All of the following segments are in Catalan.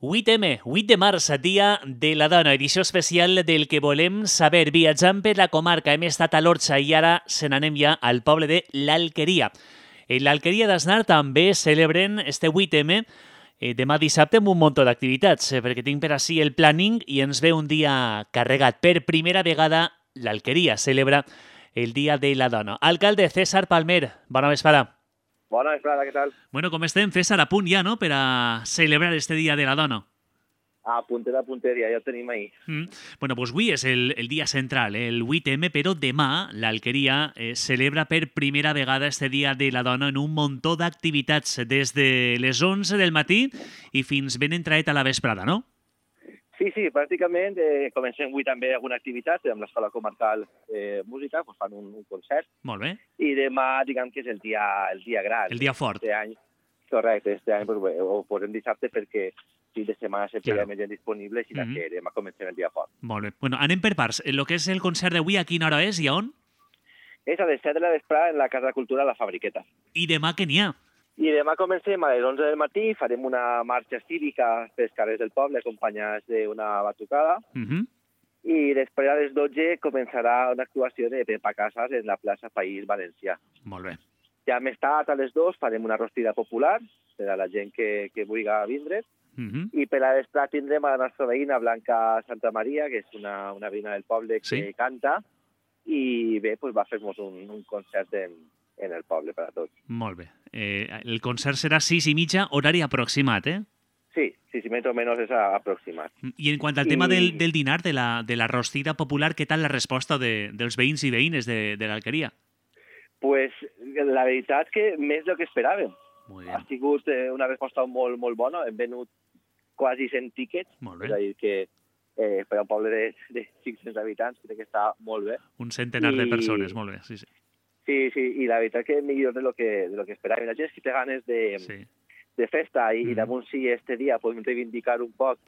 8M, 8 de març, dia de la dona, edició especial del que volem saber. Viatjant per la comarca, hem estat a l'Orxa i ara se n'anem ja al poble de l'Alqueria. En l'Alqueria d'Asnar també celebren este 8M demà dissabte amb un munt d'activitats, perquè tinc per ací el planning i ens ve un dia carregat. Per primera vegada l'Alqueria celebra el Dia de la Dona. Alcalde César Palmer, bona vesprada. Bona vesprada, què tal? Bueno, com estem, César, a punt ja, no?, per a celebrar este Dia de la Dona. A punteria, ja ho tenim ahir. Bueno, doncs avui és el dia central, el 8M, però demà l'Alqueria celebra per primera vegada este Dia de la Dona en un muntó d'activitats, des de les 11 del matí i fins ben entraet a la vesprada, no? Sí, pràcticament comencem avui també alguna activitat amb l'Escola Comarcal Música, doncs fan un concert. Molt bé. I demà, diguem que és el dia gran. El dia fort. Este any, correcte, este any doncs, ho posem dissabte perquè fin de setmana sempre hi ha més gent disponible i que demà comencem el dia fort. Molt bé. Bueno, anem per parts. El que és el concert d'avui, a quina hora és i a on? És a les 7 de la vesprada en la Casa de Cultura La Fabriqueta. I demà què n'hi ha? I demà comencem a les 11 del matí, farem una marxa cívica pels carrers del poble acompanyats d'una batucada i després a les 12 començarà una actuació de Pepa Casas en la plaça País Valencià. Molt bé. Ja més tard, a les 2, farem una rostida popular per a la gent que vulgui vindre i per a l'esplà tindrem a la nostra veïna Blanca Santa Maria, que és una veïna del poble que canta i bé, doncs va fer-nos un concert en el poble per a tots. Molt bé. El concert serà 6:30, horari aproximat, eh? Sí, més o menys és aproximat. I en quant al tema del dinar, de la rostida popular, què tal la resposta dels veïns i veïnes de l'Alqueria? Pues la veritat que més del que esperàvem. Ha sigut una resposta molt, molt bona. Hem venut quasi 100 tíquets. Molt bé. És a dir, que per a un poble de 500 habitants crec que està molt bé. Un centenar de persones, molt bé, sí. Sí, i la veritat que millor de lo que esperàvem. La gent que té ganes de festa i damunt si este dia podem reivindicar un poc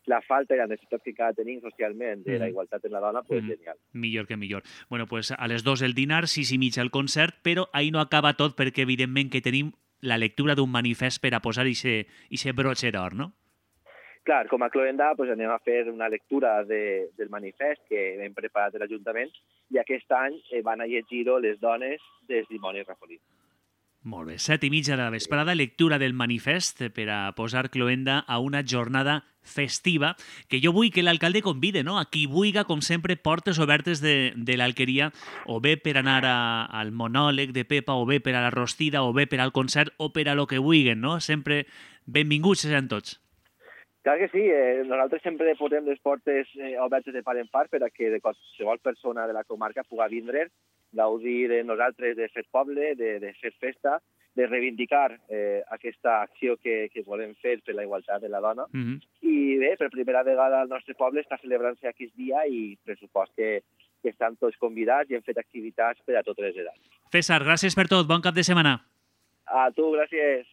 la falta i la necessitat que cada tenim socialment de la igualtat en la dona, pues genial. Millor que millor. Bueno, pues a les 2 el dinar, 6:30 el concert, però ahí no acaba tot perquè evidentment que tenim la lectura d'un manifest per a posar ixe brotxe d'or, no? Clar, com a cloenda pues, anem a fer una lectura del manifest que hem preparat de l'Ajuntament i aquest any van a llegir-ho les dones de Simone Raffolí. Molt bé, 7:30 de la vesprada, lectura del manifest per a posar cloenda a una jornada festiva que jo vull que l'alcalde convide, no? A qui vulga, com sempre, portes obertes de l'Alqueria, o bé per anar al monòleg de Pepa, o bé per a la rostida, o bé per al concert, o per a lo que vulguen, no? Sempre benvinguts seran tots. Clar que sí, nosaltres sempre posem les portes obertes de par en part per a que qualsevol persona de la comarca pugui vindre, gaudir de nosaltres de fer poble, de fer festa, de reivindicar aquesta acció que volem fer per la igualtat de la dona. I bé, per primera vegada el nostre poble està celebrant-se aquest dia i pressupost que estan tots convidats i hem fet activitats per a totes les edats. César, gràcies per tot. Bon cap de setmana. A tu, gràcies.